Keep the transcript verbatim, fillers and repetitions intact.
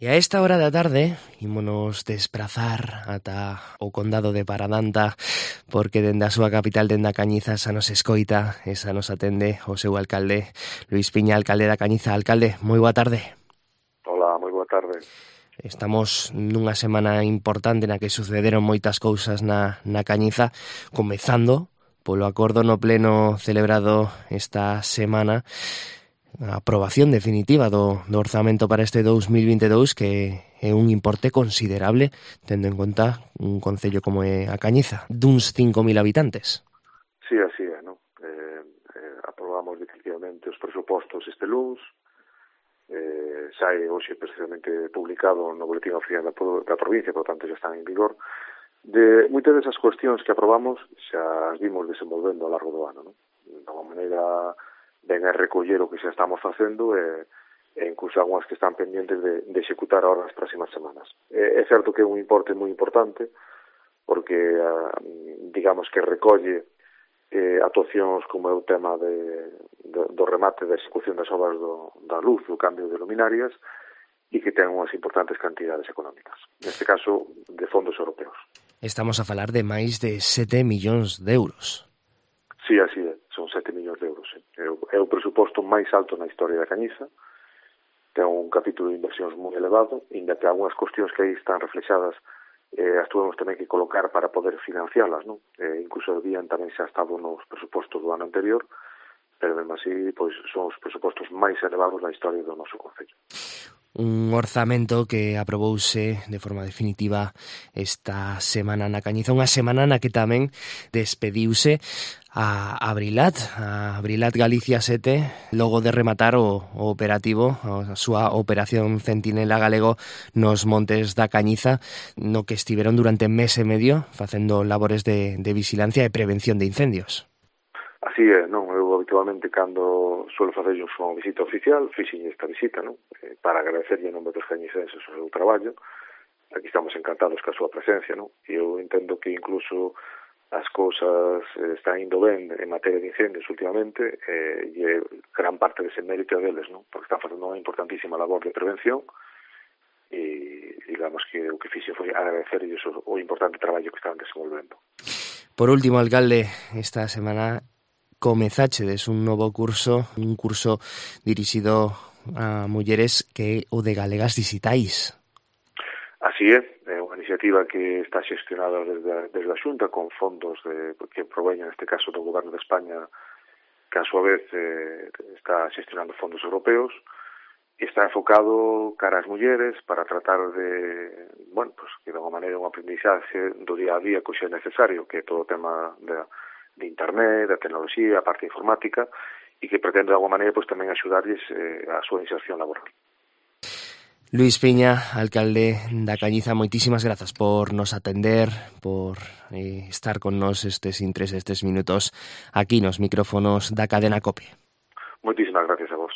E a esta hora da tarde ímonos desprazar ata o condado de Paradanta, porque dende a súa capital, dende a Cañiza, xa nos escoita e xa nos atende o seu alcalde, Luís Piña, alcalde da Cañiza. Alcalde, moi boa tarde. Hola, moi boa tarde. Estamos nunha semana importante na que sucederon moitas cousas na, na Cañiza, comezando polo acordo no pleno celebrado esta semana, a aprobación definitiva do, do orzamento para este dous mil vinte e dous, que é un importe considerable, tendo en conta un concello como é a Cañiza, duns cinco mil habitantes. Sí, así é, non? Eh, eh, aprobamos definitivamente os presupostos este luns, eh, sai hoxe precisamente publicado no boletín oficial da, da provincia, por tanto xa están en vigor. De moitas desas cuestións que aprobamos xa as vimos desenvolvendo ao largo do ano, non? De alguma maneira ven a recoller o que xa estamos facendo e, e incluso algunhas que están pendientes de, de executar ahora nas próximas semanas. É, é certo que é un importe moi importante porque, uh, digamos que recolle eh, actuacións como é o tema de, de, do remate da execución das obras do, da luz, do cambio de luminarias, e que ten unhas importantes cantidades económicas. Neste caso, de fondos europeos. Estamos a falar de máis de sete millóns de euros. Sí, así é. Son sete millóns de euros. É o, é o presuposto máis alto na historia da Cañiza. Ten un capítulo de inversións moi elevado, inda que algunhas cuestións que aí están reflexadas eh, as tuvemos tamén que colocar para poder financialas, non? Eh, incluso habían tamén xa estado nos presupostos do ano anterior, pero mesmo así, pois, son os presupostos máis elevados na historia do noso concello. Un orzamento que aprobouse de forma definitiva esta semana na Cañiza, unha semana na que tamén despediuse a Abrilat, a Abrilat Galicia sete, logo de rematar o, o operativo, a súa operación Centinela Galego nos montes da Cañiza, no que estiveron durante mes e medio facendo labores de, de vigilancia e prevención de incendios. Así é, non? Eu habitualmente cando suelo facer unha visita oficial, fixen esta visita, non? Eh, para agradecerlle en nome dos cañicenses o seu traballo. Aquí estamos encantados ca súa presencia, non? E eu entendo que incluso as cousas eh, están indo ben en materia de incendios últimamente, eh, e gran parte dese mérito deles, non? Porque están facendo unha importantísima labor de prevención e digamos que o que fixe foi agradecerlles o, o importante traballo que están desenvolvendo. Por último, alcalde, esta semana comezáchedes un novo curso, un curso dirixido a mulleres que o de Galegas Dixitais. Así é, é unha iniciativa que está xestionada desde, desde a Xunta con fondos de, que proveñen, neste caso, do Goberno de España, que a súa vez eh, está xestionando fondos europeos, e está enfocado cara ás mulleres para tratar de, bueno, pues, que de alguma maneira un aprendizaje do día a día que xa é necesario, que é todo o tema de de internet, da tecnoloxía, a parte informática, e que pretende de alguma maneira pues, tamén axudarlles eh, a súa inserción laboral. Luís Piña, alcalde da Cañiza, moitísimas grazas por nos atender, por eh, estar con nos estes intres, estes minutos aquí nos micrófonos da cadena COPE. Moitísimas gracias a vos.